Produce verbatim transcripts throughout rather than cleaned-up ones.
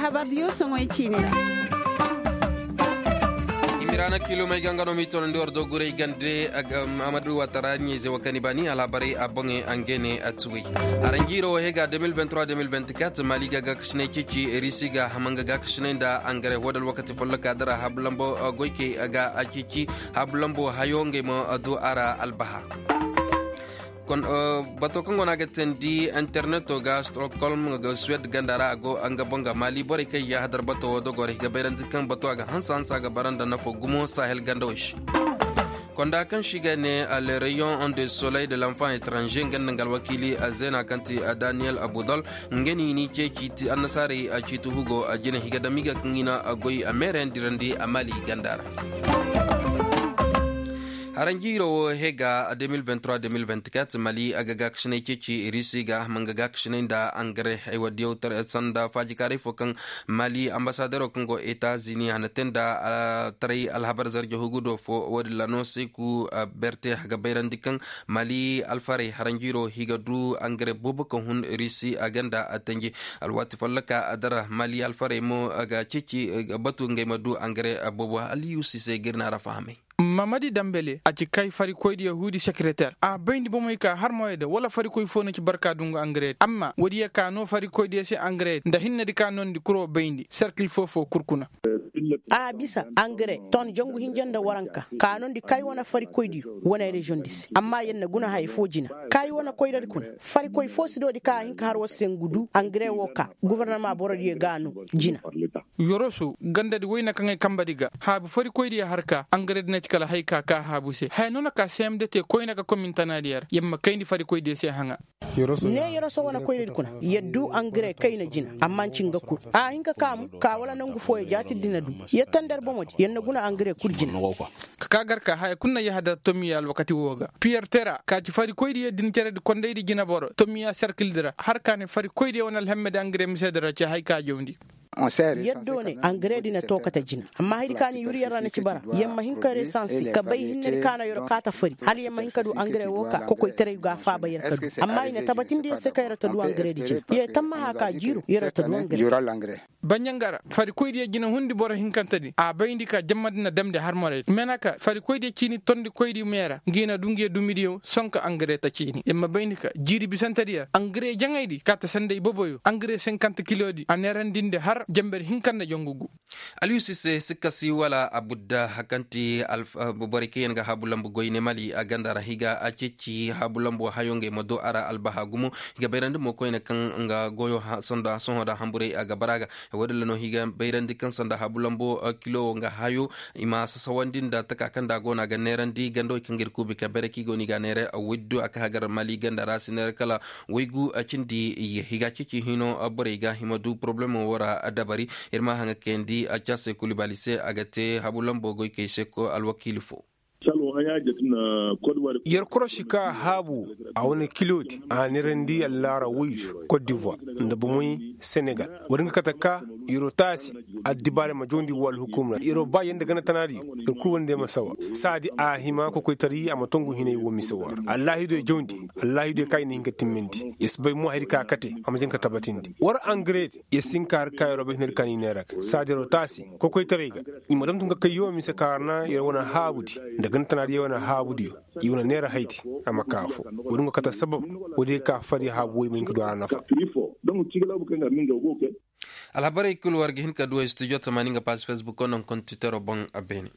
Labar diyo soŋoy ciine ra. Imiraana kilomey ga nga no m'i toonandi war do guray gande. Amadu watara ɲeeze wa kani baani alhabarey a boŋey a ngey ne a tuwey. Aranjiiro wo he ga deux mille vingt-trois deux mille vingt-quatre mali ga gaakasinay ceeci risi ga hama nga gaakasinay nda angare wo da alwakati folloka dara habu lambo goykey ga a ceeci habu lambo hayo ngey ma du a ra albaha. Bato kaŋ go no a ga teendi interneto ga stockholm ga suwed ganda ra a go nga boŋ ga maali borey kaŋ i ga hadar bato wo dogorey ga bayrandi kaŋ bato a ga hansa hansa ga bara nda nafo gumo sahel ganda wo se. Konda kaŋ se i ga ne le rayon de soleil de l'enfant étranger nga nda nga alwakiili zeena kaŋ ti daniel abudol nga no i n'i ceeci annasaarey ciiti hugo jine i ga dam i ga kaŋ i na goy meerey yaŋ dirandi a maali ganda ra. Haranjiiro wo he ga deux mille vingt-trois deux mille vingt-quatre mali a ga gaakasinay ceeci risi ga a ma nga gaakasinay nda angare haywa diyaw sanda faajikaaray fo kaŋ mali ambasadero kaŋ go etazini a na te nda taray alhabar zarja hugudo fo wo- din ra no seeku berte a ga bayrandi kaŋ mali alfarey haranjiiro i ga du angare boobo ka hun risi a ganda a tanji. Alwaati folloka a dara mali alfarey mo a ga ceeci batu ngey ma du angare boobo aliyusi se ga ir na ra fahamay. Mamadi dambele a ci kay farikoydiyo huudi sekereter a bayndi bomey ka har moyey da wala farikoy fo na ci barka dungu angare amma woodiyo ka no farikoydiyo se angare nda hinnedi ka nondi kuro bayndi serkil foo foo kul kuna. A bisa angare ton jangu hinja nda waranka ka nondi kay wane farikoydiyo wane reziyoŋdi se amma yer na guna haya foo jina kay wane koyradi kuna farikoy foo si doodi ka a hin ka har war se ngu du angare woo ka gofornama borodiyo ga a no jina. Yoroso gandadi woyne kaŋ ay kambadi ga haabu farikoydiyo har ka angaredi na ci kala hay ka ka haabu se haya no na ka seemde te koyne ga komintanadiyo ra yer ma kayndi farikoydiyo se haŋa. Ne yoroso wane koyradi kuna yer du angare kayna jina amma nci nga kul a hin ka kaamu ka wala nangu fooyo jaatidi na du yer tandar bomodi yer na guna angare kul jina. Ka ka gar ka haya kul na yahadar tomiya alwakati woo ga piyer tera ka ci farikoydiyo din ceredi kondaydi jinaboro tomiya serkildi ra har ka ne farikoydiyo wane alhammedi angare misedi ra ci hay ka jawndi. Yer do ne angaredi na to kate jina amma haydi ka ni yuri yer ra na ci bara yer ma hin ka resansi ka bay hinnedi ka na yer kaata fari hala yer ma hin ka du angare woo ka kokoytaray ga a faaba yer ka du amma i na tabatindi yer se ka yer ta du angaredi jina yer tammaha ka jiiro yer ta du angare. Baɲangara farikoydiyo jina hundi boro hinkantedi a bayndi ka jammadi na damndi harmoraydi menaka farikoydiyo ciini tondikoydi meera ngi na du ngiyo dumidiyo sonka angare ta ciini yer ma bayndi ka jiiri bisantedi yer angare jaŋaydi kaata sanda iboboyo angare senkant kilodi a neerandindi har jember hinka nda jangu gu. Aliyusi se sikka si wala abudda kaŋ ti borey kaŋ yaŋ ga haabu lambu goyne mali a ganda ra i ga a ceeci haabu lambu hayo ngey ma du a ra albaha gumo. I ga bayrandi mo koyne kaŋ nga goyo sanda sohõ da hamburey a ga bara ga. Wo- din ra no i ga bayrandi kaŋ sanda haabu lambu kilo wo nga hayo i ma sasawandi nda taka kaŋ da a go no a ga neerandi gandawey kaŋ ga ir kuubi ka bayray kaŋ i go no i ga a neera widdu a ka hagar mali ganda ra si neera kala waygu cindi iyye i ga a ceeci hino borey ga i ma du porobalemo wo ra dabari. Ir ma haŋa kayandi a caasey kulu baali se a ga te habu lambo goykey se alwakiili fo. Yer korosi ka haabu a wane kilodi a neerandi allaara woydu kot divoir nda bomey senegal. Wo- din ga kate ka yer'o taasi addibaarey ma jawndi woo alhukumra yer'o ba yee nda gana tanaadiyo. Yer kul wane day ma sawa saadi a hima kokoytaray a ma tongu hinay woo mise woo ra allaahidoy jawndi allaahidoy ka i na hin ka timmandi yer si bay mo hayadi ka kate a ma jin ka tabatindi war angaredi yer si hin ka har ka yer'o bay hinadi ka ni neera ga saadi yer'o taasi kokoytaray ga i ma damtu nga kay yoo mise ka ra na yer wane haabudi nda gana tanaadiyo wane haabudiyo. I wane neera haydi a ma ka afo wo- din go kate sabab wo- din ga ka fadi haabu wo i ma hin ka du a ra nafa. Alhabarey kul war ga hin ka du studio tamaani nga paasi facebook wo naŋ kontitero boŋ a beene.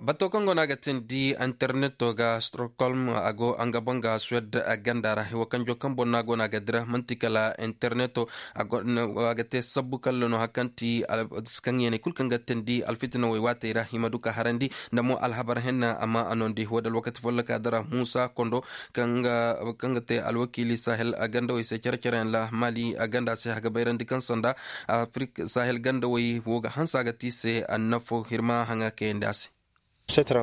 Bato kaŋ go no a ga teendi interneto ga stockholm a go nga boŋ ga suwed ganda ra haywa kanjo kaŋ boŋ no a go no a ga dira man'ti kala interneto a ga te sabbu kalla no hari kaŋ ti kaŋ yeeney kul kaŋ ga teendi alfitinawey waatey ra i ma du ka harandi nda mo alhabar henna amma a noondi wo- din alwakati folloka dira muusa kondo kaŋ ga te alwakiili sahel gandawey se cere-cereyaŋ ra maali ganda se a ga bayrandi kaŋ sanda afirik sahel gandawey wo ga hanse a ga te i se annafo hirma haŋa kayandi a se.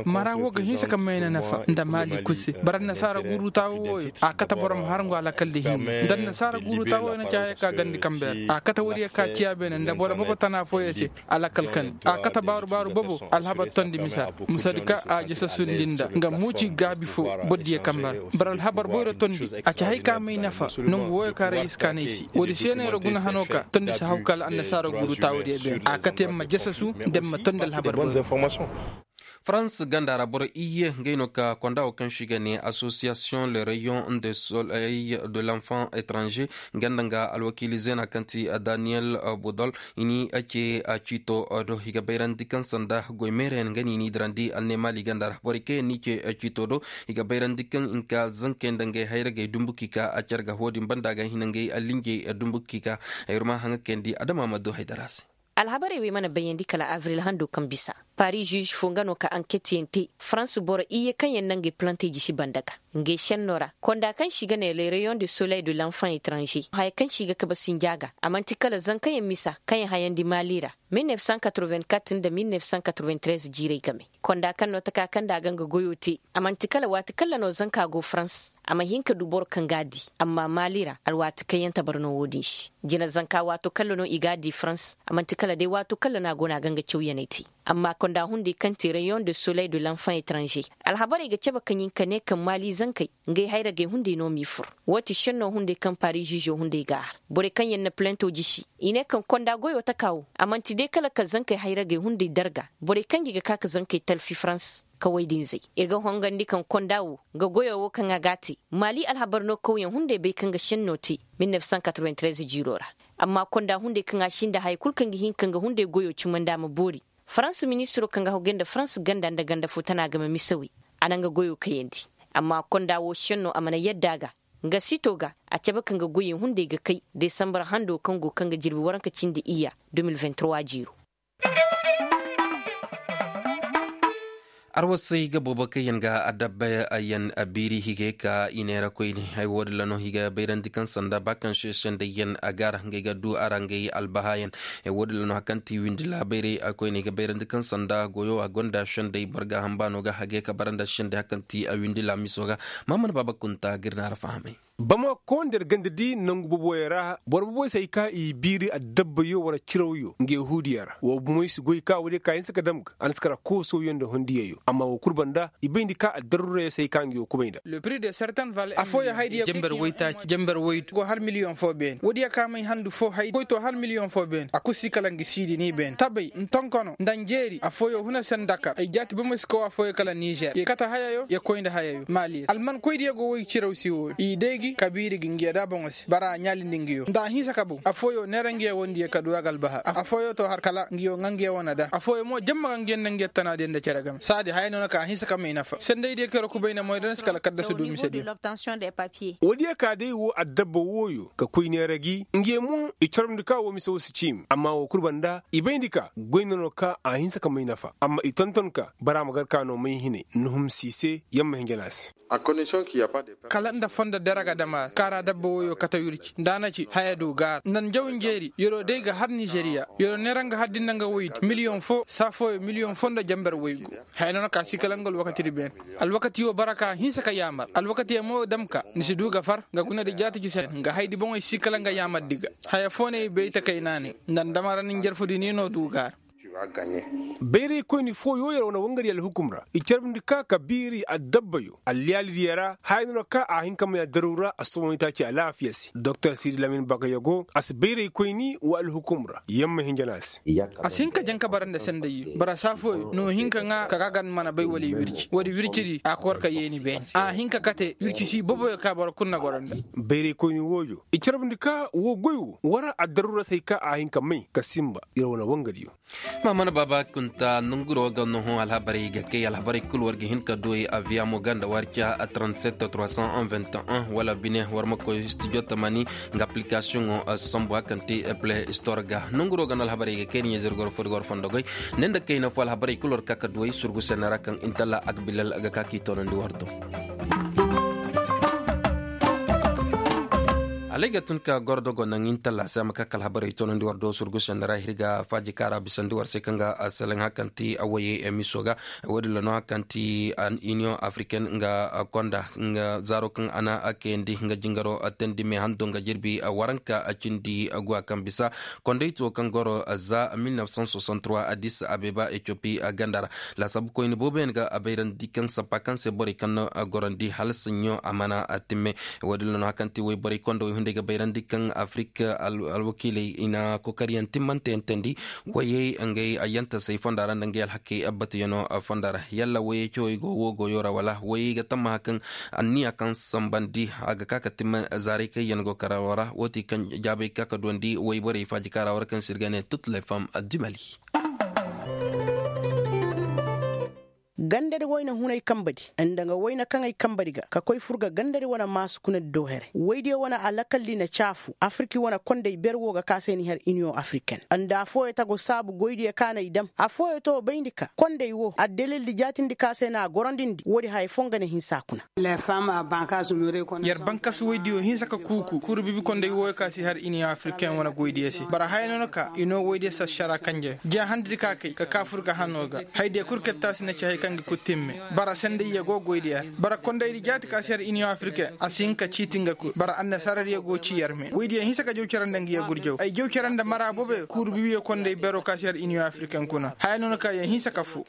Mara wo ga hinsa ka mayna nafa nda maali kul se bara annasaara guuru taawo wooyo. A kate boro ma har ngu alakal di hinne nda annasaara guuru taawo wooyo na ci haya ka gandi kambe ra a kate woodiyo ka ciya beene nda boro bobo tana fooyo se. Alakal kani a kate baaru baaru bobo. Alhabar tondi misa musadi ka a jasasundi nda nga muuci gaabi fo. Bordiyo kambe ra bara alhabar boyro tondi a ci hay ka may nafa. Nongu wooyo ka rayis ka nay se woodi seenayro guna hano ka tondi si haw kala annasaara guuru taawo diyo beene a kate ma jasasu. Nda ma tondi alhabar boyro. Farans ganda ra boro iyye ngey no ka konda wo kaŋ se i ga ne association le rayon de soleil de l'enfant étranger. Ganda nga alwakiili zeena kaŋ ti daniyel budol i n'i ce ciito do i ga bayrandi kaŋ sanda goy meerayaŋ ga ni n'i dirandi alneemaali ganda ra borey kaŋ yaŋ n'i ce ciito do. I ga bayrandi kaŋ i na ka zankey nda ngey hayragey dumbu k'i ka a care ga wo-din banda ga hina ngey allinjey dumbu k'i ka. Ay wara ma haŋa kayandi adama ma du haydara se. Alhabarey wey mana bayandi kala avril hando kaŋ bisa paris žuž fo nga no ka anketyaŋ te farans boro iyye kaŋ yaŋ na ngey plantey jisi banda ga. Ngey šenno ra konda kaŋ se i ga ne le rayon de soleil de l'enfant étranger haya kaŋ se i ga kabe sinja ga a man'ti kala zankayaŋ misa kaŋ yaŋ hayandi maali ra. Mil nef san katreven kat nda mil nef san katreven trez jiirey game konda kaŋ no taka kaŋ nda a ga nga goyo te. A man'ti kala waati kaŋ ra no zanka go farans a ma hin ka du boro kaŋ ga a di. Amma maali ra alwaati kaŋ yaŋ tabar no wo-din se jina zanka waato kaŋ ra no i ga a di farans a man'ti kala day waato kaŋ ra no a go no a ga nga cawyaney te. Amma konda hunday kaŋ te rayon de soleil de l'enfant étranger alhabarey ga cabe kaŋ ɲin ka ne kaŋ maali zankey ngey hayragey hunday no m'i fur. Woo ti šenno hunday kaŋ paris žižo hunday ga a har borey kaŋ yaŋ na plento jisi i ne kaŋ konda goyo taka wo a man'ti day kala ka zankey hayragey hunday darga borey kaŋ gi ga ka ka zankey talfi farans. Kaway din zay ir ga hongandi kaŋ konda wo nga goyo wo kaŋ a ga a te maali alhabar no kawyaŋ hunday bay kaŋ ga šenno te mil nef san katreven trez jiiro ra. Amma konda hunday kaŋ a si nda haya kul kaŋ ga hin ka nga hunday goyo cimandi a ma boori. Farans ministiro kaŋ ga hagu gay nda farans ganda nda ganda fo tana game misawey. A na nga goyo kayandi amma konda wo šenno a mana yadda a ga. Nga sito ga a cabe ka nga goyey hunday ga kay desambar hando kaŋ go kaŋ ga jirbi waranka cindi iyya. Deux mille vingt-trois jiiro. Arwasey ga boobo kaŋ yaŋ ga adabba yaŋ biiri higay ka i neera koyne. Haya wo- din ra no i ga bayrandi kaŋ sanda ba kaŋ se sendey yaŋ a gaara ngey ga du a ra ngey albahaayaŋ. Haya wo- din ra no hari kaŋ ti windi laabayray a koyne i ga bayrandi kaŋ sanda goyo a gonda sendey boro ga hamba no ga hagay ka bara nda sendey hari kaŋ ti a windi laamiso ga. Maamana baaba kunta ga ir na a ra fahamay. Bamako nda ir ganda di nangu boboyaŋ ra boro boboyaŋ se hay ka i biiri addabbayo wala cirawyo nga yahuudiyaŋ ra wo bomey si goy ka woodiyo ka hinsa ka dam ga a na si kara koosawyaŋ nda hondiyayyo amma wo kul banda i bayndi ka addarurayaŋ se hay ka nga yo kubay nda. Afooyaŋ haydiyaŋ go har miliyoŋ fo beene woodiyo ka may handu fo hay goy to har miliyoŋ fo beene a kul si kala nga siidi ni beene tabay nda tonkano nda njeeri afooyaŋ huna sendakar ay jaati bomey si kaw afooyaŋ kala nizer ya kate hayayo ya koy nda hayayo maali almankoydiyo go woy ciraw si wooyo i day gi kabiiri gi nga ya da boŋo se bara a ɲaalindi nga yo nda a hinsa ka boŋ afooyaŋ neera nga ya wondiyo ka du a ga albahar afooyaŋ to har kala nga yo ŋa nga ya wane da afooyaŋ mo jamma ga nga ya nda nga ya tanaadiyo nda cere game saadi haya no na ka a hinsa ka may nafa sendaydiyo kaŋ yer kubay nda moy da na si kala kaddasu du misediyo. Woodiyo ka day wo addabba wooyo ka koy neera gi nga ya mo i carbundi ka wo mise wo si ciimi amma wo kul banda i bayndi ka goy no no ka a hinsa ka may nafa amma i tonton ka bara ma gar ka no may hine nuhum si i se yamma hinja no a se. Kala nda fondo daraga dama kaara dabba woyo kate wirci nda a na ci haya du gaara nda njaw njeeri yer'o day ga har nizeriya yer'o neera nga har di nda nga woydi miliyoŋ fo saa fooyo miliyoŋ fo nda jamber woygu. Haya no na ka si kala nga alwakati di beene. Alwakati wo bara ka hinsa ka yaamar alwakati yaŋ mo dam ka ni si du ga far nga guna di jaati ci se nga haydi boŋey si kala nga yaamar di ga haya fo ne i bay takay naanay nda ndamara ni njarfu di ni no du gaara. Bayraykoyni fooyo yer wane wangari alhukum ra i carbundi ka ka biiri addabbayo alliyaalidiyo ra haya no na ka a hin ka may addaru ra assobonitaaci alaafiya se doktor siidi lamin bagayo go a si bayraykoyni wa alhukum ra yamma hinja no a se. A si hin ka jaŋ ka bara nda sendayyo bara saa fooyo no hin ka ŋaa ka ga a ga ni mana bay wala i wirci woodi wircidi a koor ka yeeni beene a hin ka kate wirci si boboyo ka boro kul na goro nda. Bayraykoyni wooyo i carbundi ka woo goy wo war addaru ra se hay ka a hin ka may ka sinba yer wane wangadiyo. Ma mana baaba kunta nonguro ga no hõ alhabarey ga kay alhabarey kul war ga hin ka duwey aviya mo ganda war ca trente-sept trois cent un vingt et un wala bine war ma koy studio tamani nga application sambu hakan te play store ga nonguro ga no alhabarey ga kay ni ɲezir goro fo di goro fondo goy. Ne nda kayna fo alhabarey kul war ka ka duwey surgu sene ra kaŋ intalla agbilal ga ka k'i toonandi war do. Alay ga tun ka goro dogo naŋ intalla se a ma ka kala habarey toonandi war do surgu sendara hirga faaji kaara bisandi war se kaŋ ga seleŋ hakanti awayey emiso ga. Wo- din ra no hakanti an union africaine nga konda nga zaaro kaŋ a na kayandi nga jingaro teendi me hando nga jirbi waranka cindi guwa kaŋ bisa kondayto kaŋ goro za mil neuf cent soixante-trois addis abeba ethiopie ganda ra. Laasabu koyne booboyaŋ ga a bayrandi kaŋ sappa kaŋ se borey kaŋ na gorandi hala saɲɲo a mana timme. Wo- din ra no hakanti wayborey konda way hunday ga bayrandi kaŋ afirika alwakiiley i na kookariyaŋ timmante yaŋ teendi. Wayey ngey ayyantasey fonda ra nda ngey alhakey abbatuyano fonda ra yalla wayey cewey go wo goyo ra wala wayey ga tammaha kaŋ anniya kaŋ sambandi a ga ka ka timma zaaray kaŋ yaŋ go karawa ra wo ti kaŋ jaabey ka ka duwandi wayborey faajikaara war kaŋ se ir ga ne toutes les femmes du mali. Gandadi wayna hunay kambadi nda nga wayna kaŋey kambadi ga ka koy fur ga gandadi wane maasu kunadi do here waydiyo wane alakaldi na caafu afirki wane konday ber wo ga ka se ni har iniyoŋ afirken nda afooyo tago saabu goydiyo ka na i dam afooyo to bayndi ka konday wo addalildi jaatindi ka se na a gorondindi woodi haya foo nga na hinsa kuna. Yer bankasu waydiyo hinsa ka kuuku kuuru bibi konday wooyo ka si har iniyoŋ afirken wane goydiyo se bara haya no na ka i no waydiyo sassara kanjeyo jiya handadi ka kay ka ka fur ga hano ga. Haydiyo kul ketta si na ci hay kaŋ ga kul timme. Bara sendayyo go goydiyo ra bara kondaydi jaati ka si har iniyoŋ afirken a si hin ka ciiti nga kul bara annasaaradiyo go ci yer me waydiyo hinsa ka jaw cere nda nga yer gurjaw ay jaw cere nda mara booboyo kuuru bibiyo konday bero ka si har iniyoŋ afirken kuna haya no na ka yer hinsa ka fu.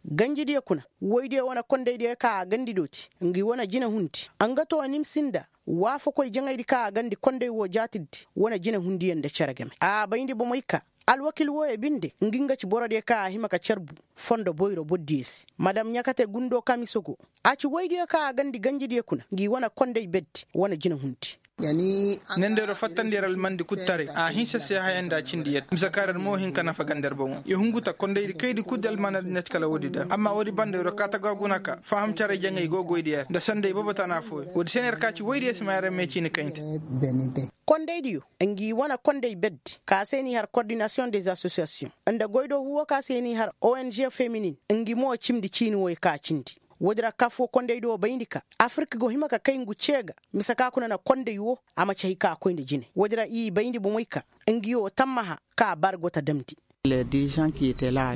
Ganjidiyo kuna woydiyo wane kondaydiyo ka a gandi dooti ngi wane jinahundi. Nga to nim sinda waafakoy jaŋaydi ka a gandi konday wo jaatiddi wane jinahundiyo nda cere game a bayndi bomey ka alwakil wooyo binde ngi nga ci borodiyo ka a hima ka carbu fondo boyro bordiyo se madam ɲakate gundo kamisogo. A ci woydiyo ka a gandi ganjidiyo kuna ngi wane konday beddi wane jinahundi. Nendero fattandi yer almandi kul taray a hinsa se haya nda cindi yadda mise ka yer mo hin ka nafa ganda yer bomo i hungu ta kondaydi kaydi kul di almanadi na ci kala woodi da amma woodi banda yer ka ta ga guna ka faham caray jaŋay go goydi yer nda sanday boobo tana fooyo woodi se no yer ka ci woydi yer si ma yer me ciini kaynte. Kondaydiyo ngi wane konday beddi ka se n'i har coordination des associations nda goydo huwo ka se n'i har ong feminin ngi mo cimdi ciini woy ka cindi. Woodi ra kafoo kondaydiyo bayndi ka afirik go hima ka kay ngu cee ga mise ka kuna na konday wo a ma ci hay ka koy nda jine woodi ra i bayndi bomey ka ngi wo tammaha ka a bara go ta damndi.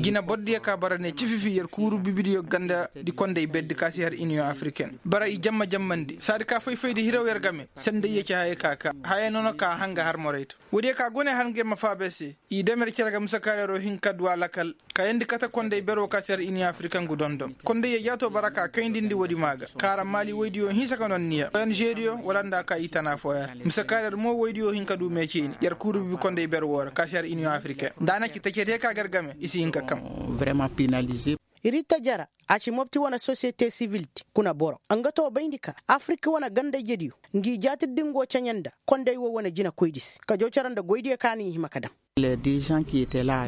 Jina bordiyo ka bara ne cififi yer kuuru bibidiyo ganda di konday beddi ka si har iniyoŋ afiriken bara i jamma jammandi saadi ka fay-faydi hiraw yer game sendayyo ci haya ka ka haya nono ka hanga har morayto. Woodiyo ka gone har nge ma faabay se i dam yer cere ga mise ka yeroo hin ka du a lakal kayandi kate konday beroo ka si har iniyoŋ afiriken ngu dondon kondayyo jaato bara ka kayndindi woodi maa ga kaara maali woydiyo hinsa ka nonniya ong diyo wala nda ka i tana fooyo ra mise ka yer mo woydiyo hin ka du meeceeni yer kuuru bibi konday ber woo ra ka si har iniyoŋ afiriken nda a na ci tacediyo ka ga yer game i si hin ka kam. Vraiment pinalize. Ritta jara a ci mopti wane sosiyete sivildi kuna boro nga to bayndi ka afirik wane ganda-ijediyo ngi jaatirdi ngo caɲa nda konday wo wane jinakoydi se ka jaw cere nda goydiyo ka na i hima ka dam.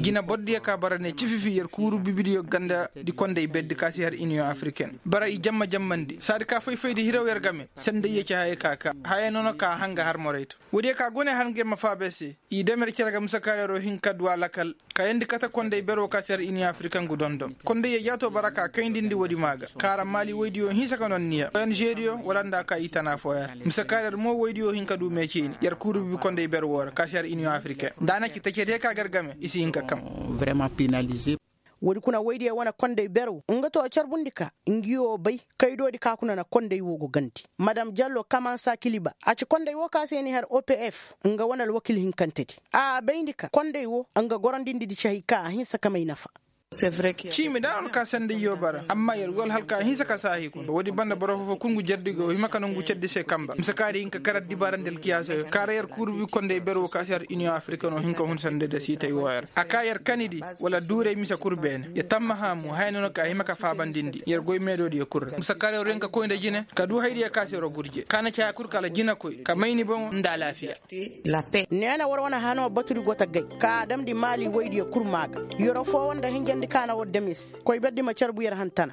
Jina bordiyo ka bara ne cififi yer kuuru bibidiyo ganda di konday beddi ka si har iniyoŋ afiriken bara i jamma jammandi saadi ka fay-faydi hiraw yer game sendayyo ci haya ka ka haya nono ka hanga har morayto. Woodiyo ka gone har nge ma faabay se i dam yer cere ga mise ka yeroo hin ka du a lakal kayandi kate konday beroo ka si har iniyoŋ afiriken ngu dondon kondayyo jaato bara ka kayndindi woodi maa ga kaara maali woydiyo hinsa ka nonniya ong diyo wala nda ka i tana fooyo ra mise ka yer mo woydiyo hin ka du meeceeni yer kuuru bibi konday ber woo ra ka si har iniyoŋ afiriken nda a na ci tacediyo ka ga yer game i si hin ka kam. Vraiment pinalize. Woodi kuna woydiyo wane konday beroo nga to carbundi ka ngi wo bay kaydoodi ka kuna na konday wo go gandi madam jallo kamansa kiliba a ci konday wo ka se ni har opf nga wane alwakil hinkantedi a bayndi ka konday wo nga gorondindi di ci hay ka a hinsa ka may nafa. Ciimi da no na ka sendayyo bara amma yer go alhalka hinsa ka saahi kuna woodi banda boro foo-foo kul ngu jardi go hima ka nongu ceddi se kamba mise ka di hin ka kar addibaarandi alkiyaasoyo kaara yer kuuru bi konday beroo ka si har iniyoŋ afiriken no hin ka hun sendayda siitay wooyo ra a ka yer kanidi wala duuray mise kul beene yer tammaha mo haya no na ka hima ka faabandindi yer goy meedoodiyo kul ra mise ka yer yen ka koy nda jine ka du haydiyo ka si yer gurje ka na ci haya kul kala jinakoy ka may ni boŋo nda alaafiya. Neena war wane hanoo batudi go ta gay ka a damndi maali woydiyo kul maa ga yeroo foo war nda hinjandi ka na war dam yer se koy berdi ma carbu yer hantana.